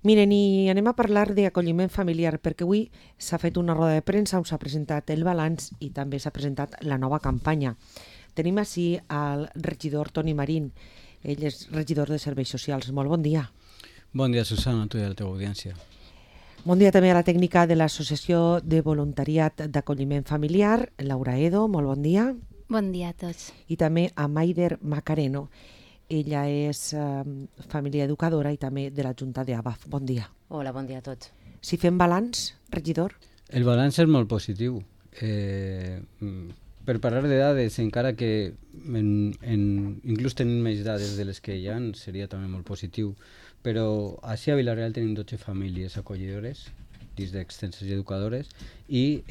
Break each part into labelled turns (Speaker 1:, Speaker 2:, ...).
Speaker 1: Miren, i anem a parlar d'acolliment familiar, perquè avui s'ha fet una roda de premsa on s'ha presentat el balanç i també s'ha presentat la nova campanya. Tenim així al regidor Toni Marín. Ell és regidor de Serveis Socials. Molt bon dia.
Speaker 2: Bon dia, Susana, a tu i a la teva audiència.
Speaker 1: Bon dia també a la tècnica de l'Associació de Voluntariat d'Acolliment Familiar, Laura Edo. Molt bon dia.
Speaker 3: Bon dia a tots.
Speaker 1: I també a Maider Macareno. Ella és família educadora i també de la Junta d'ABAF. Bon dia.
Speaker 4: Hola, bon dia a tots.
Speaker 1: Si fem balanç, regidor?
Speaker 2: El balanç és molt positiu. Per parlar de dades, encara que inclús tenim més dades de les que hi ha, seria també molt positiu. Però així a Vila-real tenim 12 famílies acollidores, dins d'extenses i educadores, i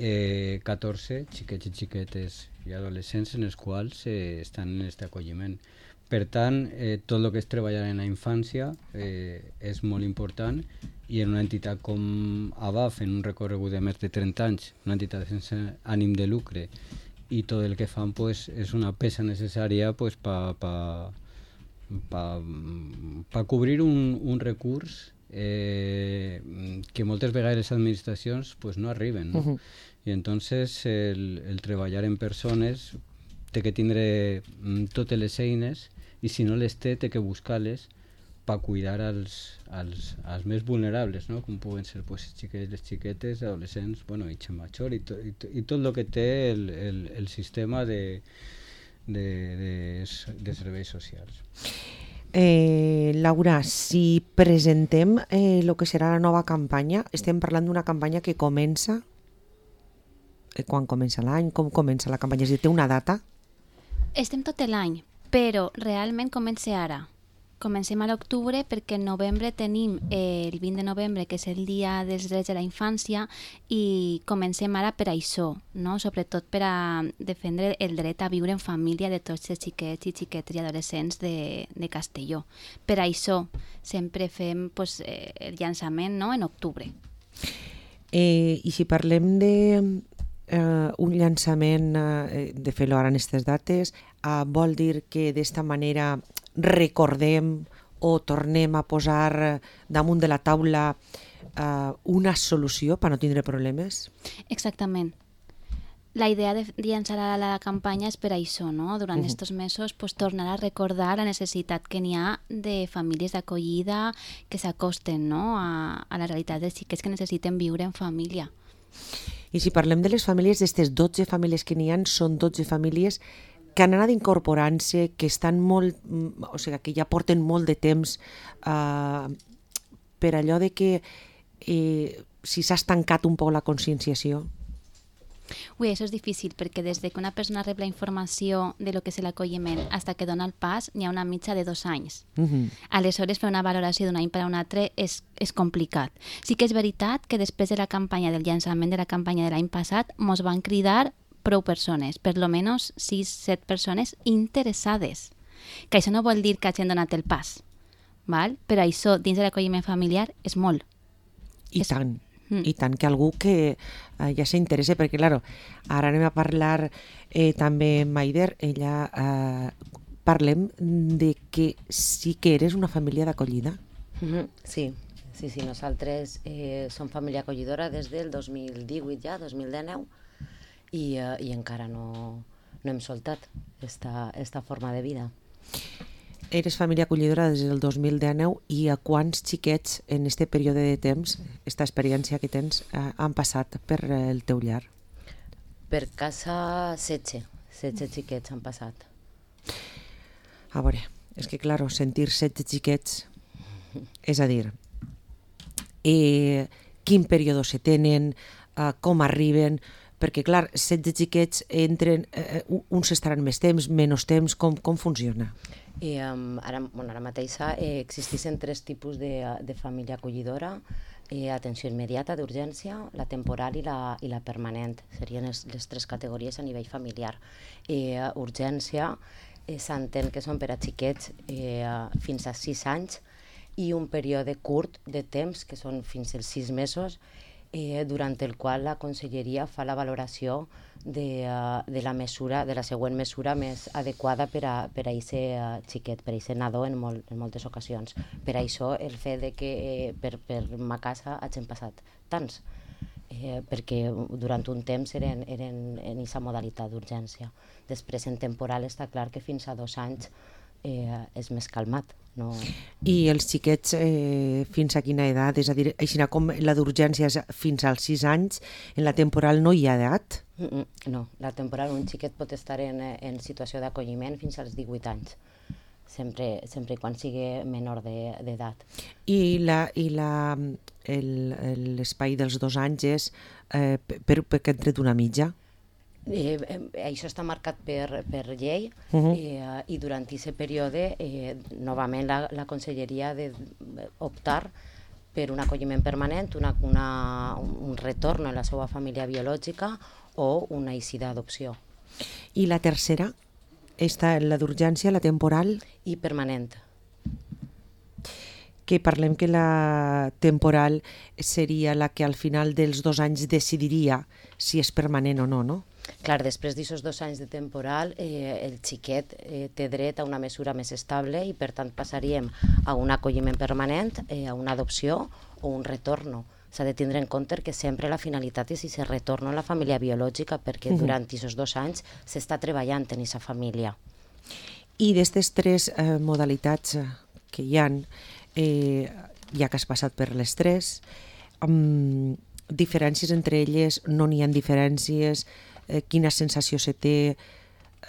Speaker 2: 14 xiquets i xiquetes i adolescents en els quals estan en aquest acolliment. Per tant, tot el que és treballar en la infància és molt important i en una entitat com ABAF, en un recorregut de més de 30 anys, una entitat sense ànim de lucre, i tot el que fan pues, és una peça necessària pues, per cobrir un recurs que moltes vegades les administracions pues, no arriben. No? I entonces el treballar en persones té que tindre totes les eines i si no les té que buscar-les per cuidar als més vulnerables, no? Com poden ser pues, les xiquetes, adolescents, bueno, i gent major i tot el que té el sistema de serveis socials.
Speaker 1: Laura, si presentem el que serà la nova campanya, estem parlant d'una campanya que comença quan comença l'any, com comença la campanya, és a dir, té una data?
Speaker 3: Estem tot l'any, però realment comença ara. Comencem a l'octubre perquè en novembre tenim el 20 de novembre, que és el Dia dels Drets de la Infància, i comencem ara per això, no? Sobretot per a defendre el dret a viure en família de tots els xiquets i xiquetes i adolescents de Castelló. Per això sempre fem pues, el llançament, no? En octubre.
Speaker 1: I si parlem de un llançament, de fer-lo ara en aquestes dates, vol dir que d'esta manera recordem o tornem a posar damunt de la taula una solució per no tindre problemes?
Speaker 3: Exactament. La idea de llançar la campanya és per això, no? Durant aquests mesos pues, tornar a recordar la necessitat que n'hi ha de famílies d'acollida que s'acosten, no? a la realitat dels xiquets que necessiten viure en família.
Speaker 1: I si parlem de les famílies, d'aquestes 12 famílies que n'hi ha, són 12 famílies que han anat incorporant-se, que estan molt, o sigui, que ja porten molt de temps per allò de que si s'ha estancat un poc la conscienciació.
Speaker 3: Ui, això és difícil, perquè des que una persona rep la informació de lo que és l'acolliment fins que dona el pas, n'hi ha una mitja de 2 anys. Aleshores, fer una valoració d'un any per a un altre és complicat. Sí que és veritat que després de la campanya, del llançament de la campanya de l'any passat, mos van cridar prou persones, per lo menos 6-7 persones interessades. Que això no vol dir que hagin donat el pas, val? Però això, dins de l'acolliment familiar, és molt.
Speaker 1: I tant. I tant que algú que ja s'interessa, perquè clar, ara anem a parlar també amb Maider, ella parlem de que sí que eres una família d'acollida.
Speaker 4: Sí, nosaltres som família acollidora des del 2018 ja, 2019, i encara no hem soltat esta forma de vida.
Speaker 1: Eres família acollidora des del 2019 i a quants xiquets en este període de temps, esta experiència que tens, han passat per el teu llar?
Speaker 4: Per casa 16 xiquets han passat.
Speaker 1: A veure, és que clar, sentir 16 xiquets, és a dir, quin període se tenen, com arriben, perquè clar, 16 xiquets entren, uns estaran més temps, menys temps, com funciona?
Speaker 4: Ara mateix existeixen 3 tipus de família acollidora: atenció immediata, d'urgència, la temporal i la permanent. Serien les 3 categories a nivell familiar. Urgència s'entén que són per a xiquets fins a 6 anys i un període curt de temps, que són fins als 6 mesos, durant el qual la Conselleria fa la valoració de la mesura, de la següent mesura més adequada per a aquest xiquet, per a aquest nadó en moltes ocasions. Per això el fet de que per ma casa hagin passat tants, perquè durant un temps eren en aquesta modalitat d'urgència. Després en temporal està clar que fins a 2 anys és més calmat. No...
Speaker 1: I els xiquets fins a quina edat? És a dir, així com la d'urgència és fins als 6 anys, en la temporal no hi ha edat?
Speaker 4: No, la temporal un xiquet pot estar en situació d'acolliment fins als 18 anys, sempre i quan sigui menor d'edat.
Speaker 1: I l'espai dels 2 anys és perquè han tret una mitja?
Speaker 4: Això està marcat per llei i durant aquest període novament la Conselleria ha d'optar per un acolliment permanent, un retorn a la seva família biològica o una eixida d'adopció.
Speaker 1: I la tercera? Està la d'urgència, la temporal?
Speaker 4: I permanent.
Speaker 1: Que parlem que la temporal seria la que al final dels 2 anys decidiria si és permanent o no, no?
Speaker 4: Clar, després d'aquests 2 anys de temporal, el xiquet té dret a una mesura més estable i per tant passaríem a un acolliment permanent, a una adopció o un retorno. S'ha de tindre en compte que sempre la finalitat és si se retorna a la família biològica, perquè durant aquests 2 anys s'està treballant en aquesta família.
Speaker 1: I d'aquestes 3 modalitats que hi ha, ja que has passat per les 3, diferències entre elles, no n'hi ha diferències, quina sensació se té,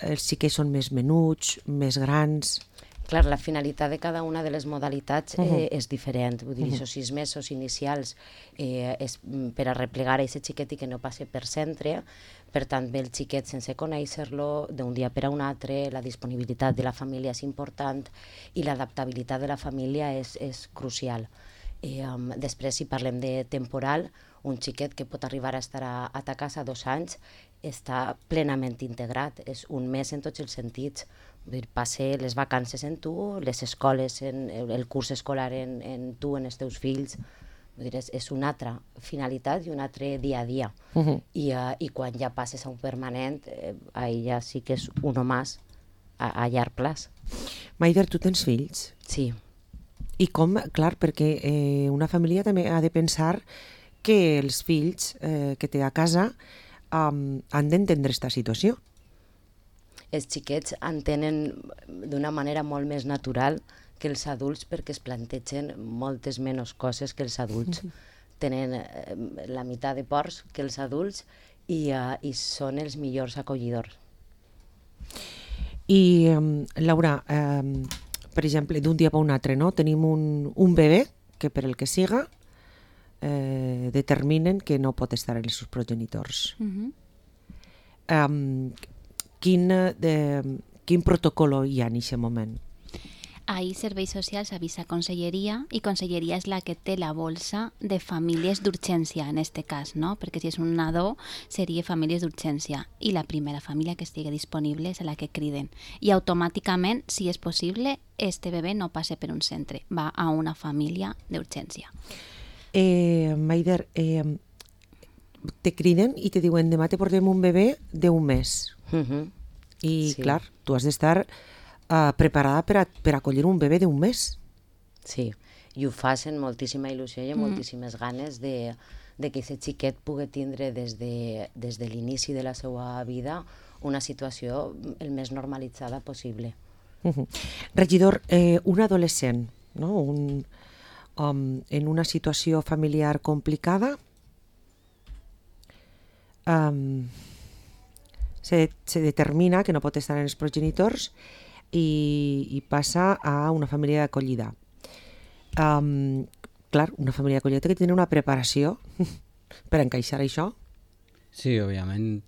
Speaker 1: els xiquets són més menuts, més grans...
Speaker 4: Clar, la finalitat de cada una de les modalitats és diferent. Vull dir, aquests 6 mesos inicials és per a replegar aquest xiquet i que no passi per centre. Per tant, ve el xiquet sense conèixer-lo, d'un dia per a un altre, la disponibilitat de la família és important i l'adaptabilitat de la família és crucial. Després, si parlem de temporal, un xiquet que pot arribar a estar a ta casa 2 anys està plenament integrat, és un mes en tots els sentits. Passa les vacances en tu, les escoles, el curs escolar en tu, en els teus fills. És una altra finalitat i un altre dia a dia. I quan ja passes a un permanent, ja sí que és uno más a llarg plaç.
Speaker 1: Maider, tu tens fills?
Speaker 4: Sí.
Speaker 1: I com? Clar, perquè una família també ha de pensar que els fills que té a casa han d'entendre aquesta situació.
Speaker 4: Els xiquets entenen d'una manera molt més natural que els adults perquè es plantegen moltes menys coses que els adults. Tenen la meitat de ports que els adults i són els millors acollidors.
Speaker 1: I, Laura, per exemple, d'un dia per un altre, no? Tenim un bebè que per el que siga determinen que no pot estar en els seus progenitors. Quin protocol hi ha en aquest moment?
Speaker 3: Ahí Serveis Socials avisa Conselleria i Conselleria és la que té la bolsa de famílies d'urgència en este cas, no? Perquè si és un nadó seria famílies d'urgència i la primera família que estigui disponible és la que criden. I automàticament, si és possible, este bebè no passa per un centre, va a una família d'urgència.
Speaker 1: Maider, te criden i te diuen demà te portem un bebè d'1 mes. I
Speaker 4: sí.
Speaker 1: Clar, tu has d'estar preparada per acollir un bebè d'1 mes.
Speaker 4: Sí, i ho fas amb moltíssima il·lusió i amb moltíssimes ganes de que aquest xiquet pugui tindre des de l'inici de la seva vida una situació el més normalitzada possible.
Speaker 1: Regidor, un adolescent, no? En una situació familiar complicada, se determina que no pot estar en els progenitors i passa a una família d'acollida. Clar, una família d'acollida té que tenir una preparació per encaixar això.
Speaker 2: Sí, òbviament,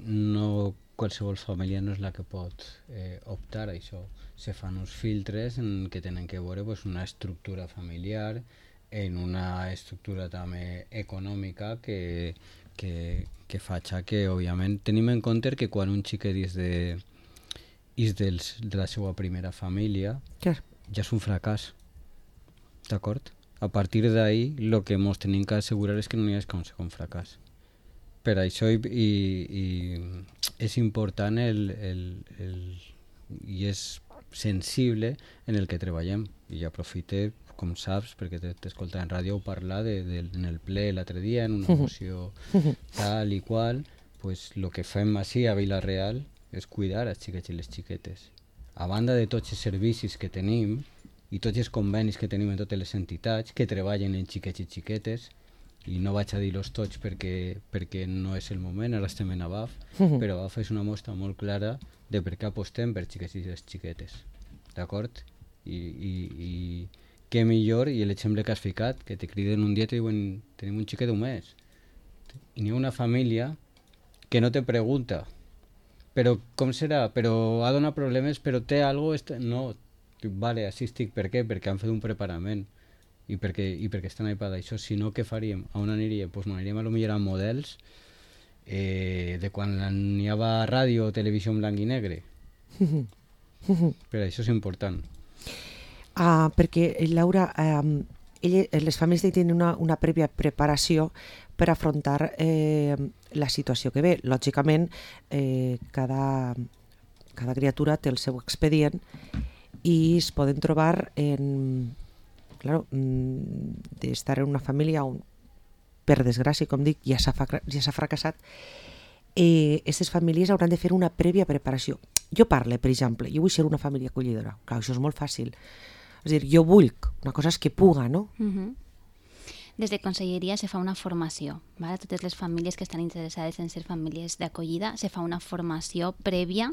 Speaker 2: no qualsevol família no és la que pot optar a això. Se fan uns filtres en què tenen que veure una estructura familiar, en una estructura també econòmica que faig que, òbviament, tenim en compte que quan un xiquet és de la seva primera família, ja és un fracàs, d'acord? A partir d'ahí, el que ens tenim que assegurar és que no hi hagi un segon fracàs. Per això i és important i és sensible en el que treballem. I aprofite, com saps, perquè t'escolta en ràdio parlar en el ple l'altre dia, en una moció tal i qual, pues el que fem així a Vila-real és cuidar els xiquets i les xiquetes. A banda de tots els servicis que tenim i tots els convenis que tenim en totes les entitats que treballen en xiquets i xiquetes, i no vaig a dir-los tots perquè no és el moment, ara estem en ABAF, però ABAF és una mostra molt clara de per què apostem per xiquets i les xiquetes, d'acord? I què millor, i l'exemple que has ficat, que te criden un dia i te diuen tenim un xiquet d'un mes, i n'hi ha una família que no te pregunta però com serà, però ha donat problemes, però té alguna cosa, no, vale, així estic, per què? Perquè han fet un preparament i perquè estan ahí per això. Si no, què faríem? A on aniríem? Doncs aniríem a lo millor a models de quan n'hi havia ràdio o televisió en blanc i negre. Però això és important.
Speaker 1: Perquè, Laura, les famílies tenen una prèvia preparació per afrontar la situació que ve. Lògicament, cada criatura té el seu expedient i es poden trobar d'estar en una família on, per desgràcia, com dic, ja s'ha fracassat. Aquestes famílies hauran de fer una prèvia preparació. Jo parlo, per exemple, jo vull ser una família acollidora. Clar, això és molt fàcil. És a dir, jo vull, una cosa és que puga, no?
Speaker 3: Des de Conselleria se fa una formació, ¿vale? A totes les famílies que estan interessades en ser famílies d'acollida se fa una formació prèvia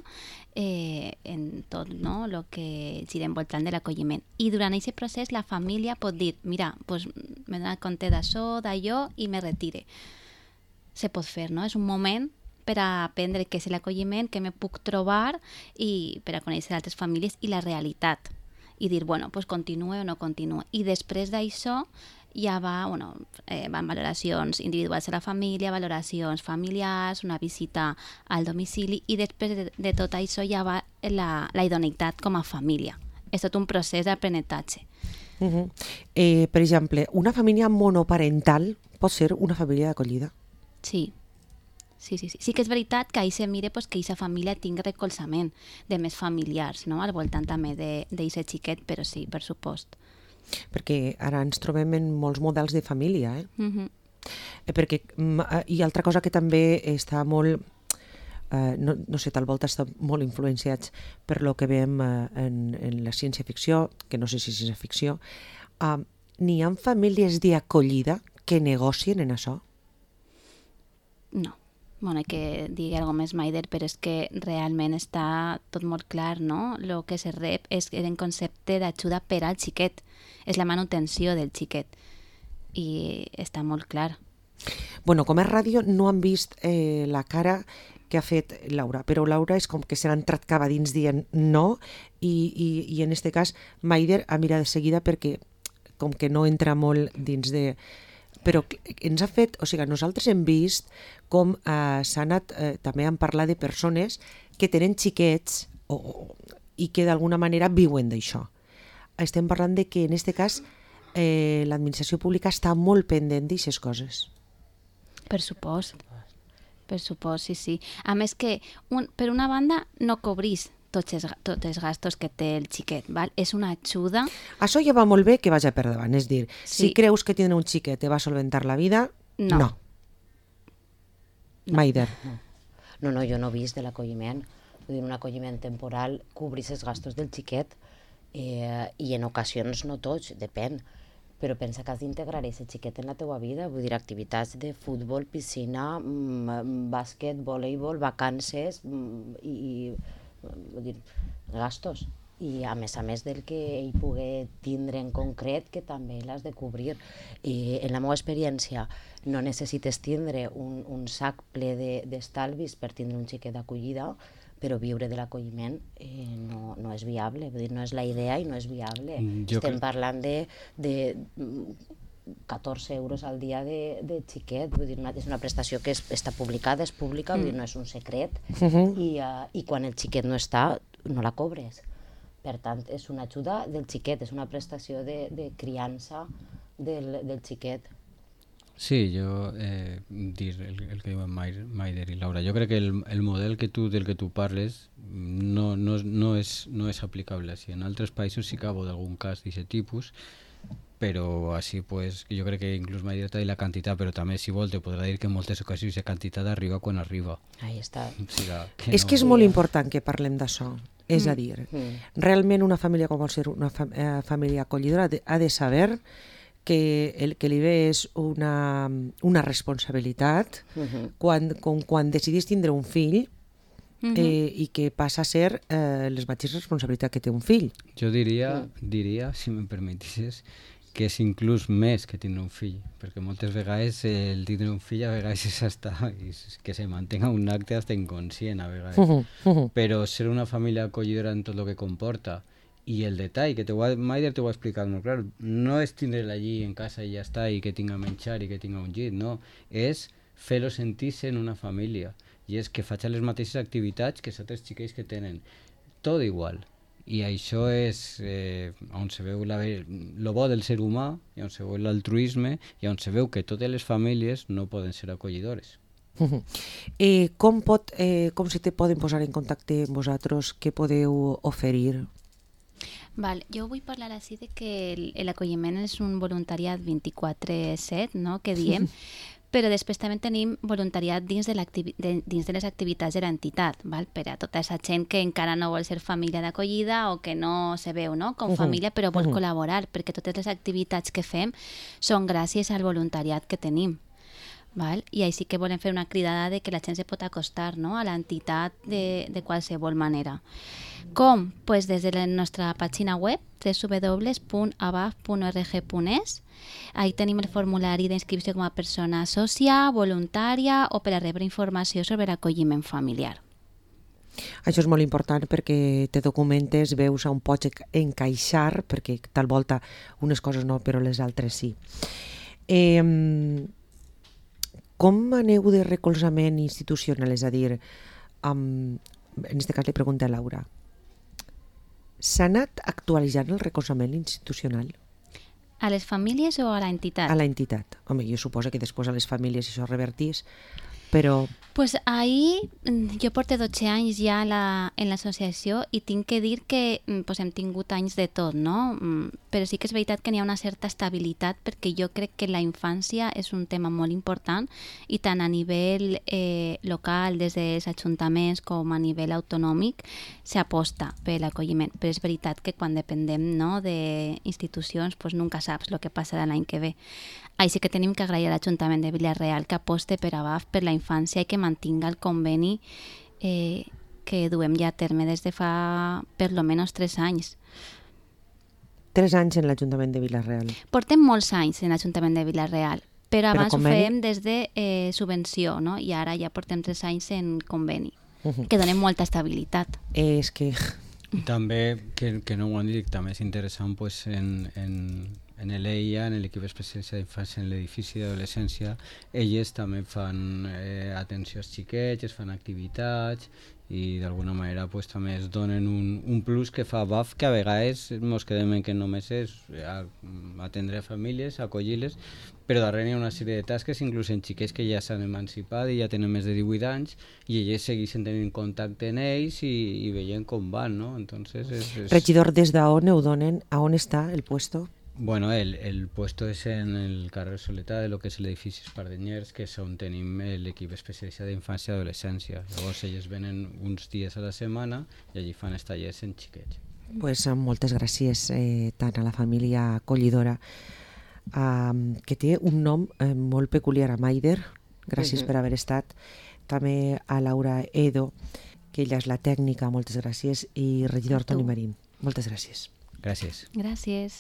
Speaker 3: en tot, no?, el que gira envoltant de l'acolliment. I durant aquest procés la família pot dir, mira, pues, m'he donat compte d'això, d'allò i me retire. Se pot fer, no? És un moment per a aprendre què és l'acolliment, què me puc trobar i per a conèixer altres famílies i la realitat. I dir, bueno, pues continue o no continue. I després d'això ja van valoracions individuals a la família, valoracions familiars, una visita al domicili i després de tot això ja va la idoneïtat com a família. És tot un procés d'aprenentatge.
Speaker 1: Per exemple, una família monoparental pot ser una família d'acollida?
Speaker 3: Sí. Sí que és veritat que ahir se mire que aquesta família tingui recolzament de més familiars, no?, al voltant també d'aquest xiquet, però sí, per supost.
Speaker 1: Perquè ara ens trobem en molts models de família, i altra cosa que també està molt, no sé, tal volta està molt influenciats per lo que veiem en la ciència-ficció, que no sé si és ciència-ficció, n'hi ha famílies d'acollida que negocien en això?
Speaker 3: No. Bueno, hay que dir alguna més, Maider, però és que realment està tot molt clar, no? El que se rep és en concepte d'ajuda per al xiquet. És la manutenció del xiquet. I està molt clar.
Speaker 1: Bueno, com a ràdio no han vist la cara que ha fet Laura, però Laura és com que se l'ha entrat cap a dins dient no, i en aquest cas Maider ha mirat de seguida perquè com que no entra molt dins de... Però ens ha fet, o sigui, nosaltres hem vist com s'ha anat, també han parlat de persones que tenen xiquets i que d'alguna manera viuen d'això. Estem parlant de que en aquest cas l'administració pública està molt pendent d'aixes coses.
Speaker 3: Per supost, sí. A més que, per una banda, no cobrís tots els gastos que té el xiquet, val? És una ajuda...
Speaker 1: Això ja va molt bé que vagi per davant, és dir, si creus que tindre un xiquet te va solventar la vida, no. Maider.
Speaker 4: No, jo no he vist de l'acolliment. Vull dir, un acolliment temporal cobrís els gastos del xiquet i en ocasions no tots, depèn. Però pensa que has d'integrar aquest xiquet en la teua vida, vull dir, activitats de futbol, piscina, bàsquet, voleibol, vacances i vull dir, gastos. I a més del que ell pugui tindre en concret, que també l'has de cobrir. I en la meva experiència no necessites tindre un sac ple d'estalvis per tindre un xiquet d'acollida, però viure de l'acolliment no és viable, vull dir, no és la idea i no és viable. Estem parlant de 14 euros al dia de xiquet, vull dir, és una prestació que està publicada, és pública, vull dir, no és un secret, i quan el xiquet no està, no la cobres. Per tant, és una ajuda del xiquet, és una prestació de criança del xiquet.
Speaker 2: Sí, jo dir el que diuen Maider i Laura. Jo crec que el model del que tu parles no és aplicable així. En altres països sí que hi ha algun cas d'aquest tipus, però així pues, jo crec que inclús Maider t'ha dit la quantitat, però també si vol te podrà dir que en moltes ocasions la quantitat arriba quan arriba.
Speaker 4: Ahí està.
Speaker 2: O sigui,
Speaker 1: És que és molt important que parlem d'això. És a dir, realment una família com vol ser una família acollidora ha de saber que el que li ve és una responsabilitat quan decidís tindre un fill i que passa a ser les mateixes responsabilitats que té un fill.
Speaker 2: Jo diria, si me'n permetissis, que és inclús més que tindre un fill, perquè moltes vegades el tindre un fill a vegades és hasta que se mantenga un acte hasta inconscient a vegades. Però ser una família acollidora en tot el que comporta i el detall, que Maider t'ho ha explicat molt clar, no és tindre-la allí en casa i ja està, i que tinga menjar i que tinga un llit, no, és fer-lo sentir-se en una família, i és que faci les mateixes activitats que els altres xiquets que tenen, tot igual. I això és on se veu lo bo del ser humà, i on se veu l'altruisme, i on se veu que totes les famílies no poden ser acollidores.
Speaker 1: Com se te poden posar en contacte amb vosaltres? Què podeu oferir?
Speaker 3: Val, jo vull parlar així de que l'acolliment és un voluntariat 24/7, no?, que diem, però després també tenim voluntariat dins de les activitats de l'entitat, per a tota aquesta gent que encara no vol ser família d'acollida o que no se veu, no?, com família, però vol col·laborar, perquè totes les activitats que fem són gràcies al voluntariat que tenim. I així que volem fer una cridada de que la gent se pot acostar, no?, a l'entitat de qualsevol manera. Com? Pues des de la nostra pàgina web www.abaf.org.es. Ahí tenim el formulari d'inscripció com a persona sòcia, voluntària o per a rebre informació sobre l'acolliment familiar.
Speaker 1: Això és molt important perquè te documentes, veus on pots encaixar, perquè tal volta unes coses no, però les altres sí. Com aneu de recolzament institucional? És a dir, en aquest cas li pregunta a Laura, s'ha anat actualitzant el recolzament institucional?
Speaker 3: A les famílies o a l'entitat?
Speaker 1: A l'entitat. Home, jo suposo que després a les famílies això revertís, però...
Speaker 3: Pues ahí jo porto 12 anys ja en l'associació i tinc que dir que pues, hem tingut anys de tot, no? Però sí que és veritat que n'hi ha una certa estabilitat perquè jo crec que la infància és un tema molt important i tant a nivell local, des dels ajuntaments com a nivell autonòmic, s'aposta per l'acolliment. Però és veritat que quan dependem, no, d'institucions pues, nunca saps el que passarà l'any que ve. Així que tenim que agrair a l'Ajuntament de Vila-real que aposte per ABAF, per la infància i que mantinga el conveni que duem ja a terme des de fa per lo menos 3 anys.
Speaker 1: 3 anys en l'Ajuntament de Vila-real.
Speaker 3: Portem molts anys en l'Ajuntament de Vila-real, però abans ho fèiem des de subvenció, no? I ara ja portem 3 anys en conveni, que donem molta estabilitat.
Speaker 1: És que...
Speaker 2: I també, que no ho han dit, també és interessant pues, en l'EIA, en l'equip especialitzat d'infància en l'edifici d'adolescència, elles també fan atenció als xiquets, es fan activitats i d'alguna manera pues, també es donen un plus que fa BAF, que a vegades ens quedem en que només és atendre famílies, acollir-les, però darrere hi ha una sèrie de tasques, inclús en xiquets que ja s'han emancipat i ja tenen més de 18 anys i elles segueixen tenint contacte amb ells i veient com van, no? Entonces
Speaker 1: Regidor, des d'on ho donen? A on està el puesto?
Speaker 2: Bueno, el puesto es en el carrer Soleta de lo que és l'edifici Espardenyers, que és on tenim l'equip especialitzat d'infància i adolescència. Llavors ells venen uns dies a la setmana i allí fan els tallers en xiquets.
Speaker 1: Pues moltes gràcies tant a la família acollidora, que té un nom molt peculiar, a Maider, gràcies per haver estat, també a Laura Edo, que ella és la tècnica, moltes gràcies, i regidor Toni Marín, moltes gràcies.
Speaker 2: Gràcies.
Speaker 3: Gràcies.